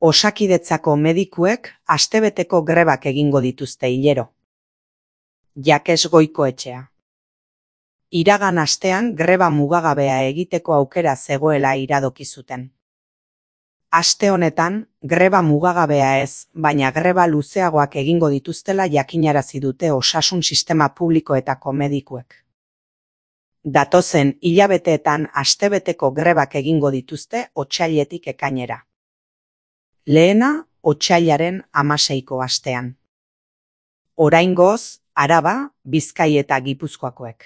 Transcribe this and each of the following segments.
Osakidetzako medikuek astebeteko grebak egingo dituzte hilero. Jakes Goikoetxea. Iragan astean greba mugagabea egiteko aukera zegoela iradoki zuten. Aste honetan, greba mugagabea ez, baina greba luzeagoak egingo dituztela jakinarazi dute osasun sistema publikoetako medikuek. Datozen hilabeteetan astebeteko grebak egingo dituzte otsailetik ekainera. Lehena, otsailaren 16ko astean. Oraingoz, Araba, Bizkai eta Gipuzkoakoek.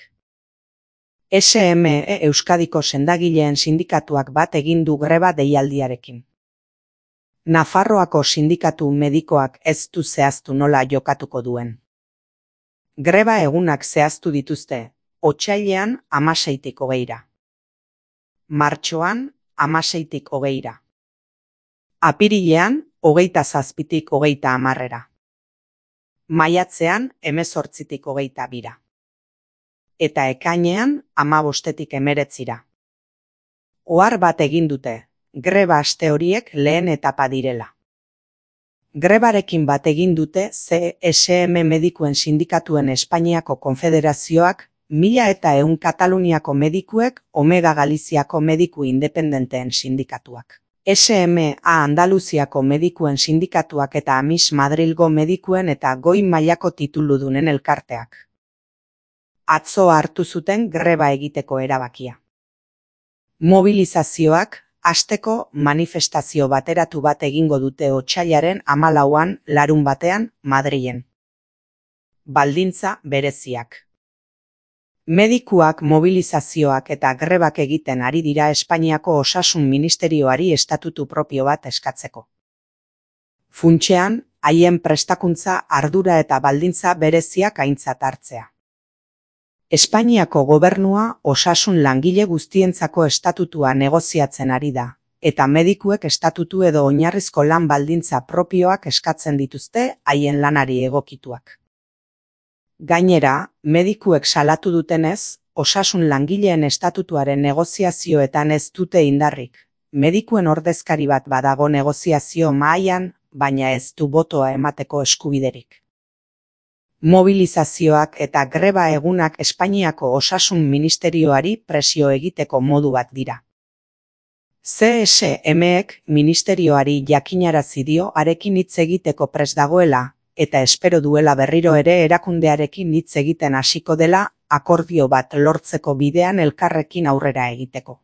SME Euskadiko sendagileen sindikatuak bat egin du greba deialdiarekin. Nafarroako sindikatu medikoak ez du zehaztu nola jokatuko duen. Greba egunak zehaztu dituzte, otsailean 16tik 20ra. Martxoan 16tik 20ra. Apirilean 27tik 30ra. Maiatzean 18tik 22ra. Eta ekainean 15tik 19ra. Ohar bat egin dute, greba aste horiek lehen etapa direla. Grebarekin bat egin dute CSM medikuen sindikatuen Espainiako konfederazioak, 1100 Kataluniako medikuek, Omega Galiziako mediku independenteen sindikatuak. SMA Andaluziako medikuen sindikatuak eta AMIS Madrilgo medikuen eta goi mailako tituludunen elkarteak. Atzo hartu zuten greba egiteko erabakia. Mobilizazioak, hasteko manifestazio bateratu bat egingo dute otsailaren 14an larunbatean Madrilen. Baldintza bereziak. Medikuak mobilizazioak eta grebak egiten ari dira Espainiako Osasun Ministerioari estatutu propio bat eskatzeko. Funtsean, haien prestakuntza, ardura eta baldintza bereziak aintzat hartzea. Espainiako gobernua osasun langile guztientzako estatutua negoziatzen ari da, eta medikuek estatutu edo oinarrizko lan baldintza propioak eskatzen dituzte haien lanari egokituak. Gainera, medikuek salatu dutenez, osasun langileen estatutuaren negoziazioetan ez dute indarrik. Medikuen ordezkari bat badago negoziazio mahaian, baina ez du botoa emateko eskubiderik. Mobilizazioak eta greba egunak Espainiako Osasun Ministerioari presio egiteko modu bat dira. CSMek ministerioari jakinarazi dio harekin hitz egiteko prest dagoela, eta espero duela berriro ere erakundearekin hitz egiten hasiko dela, akordio bat lortzeko bidean elkarrekin aurrera egiteko.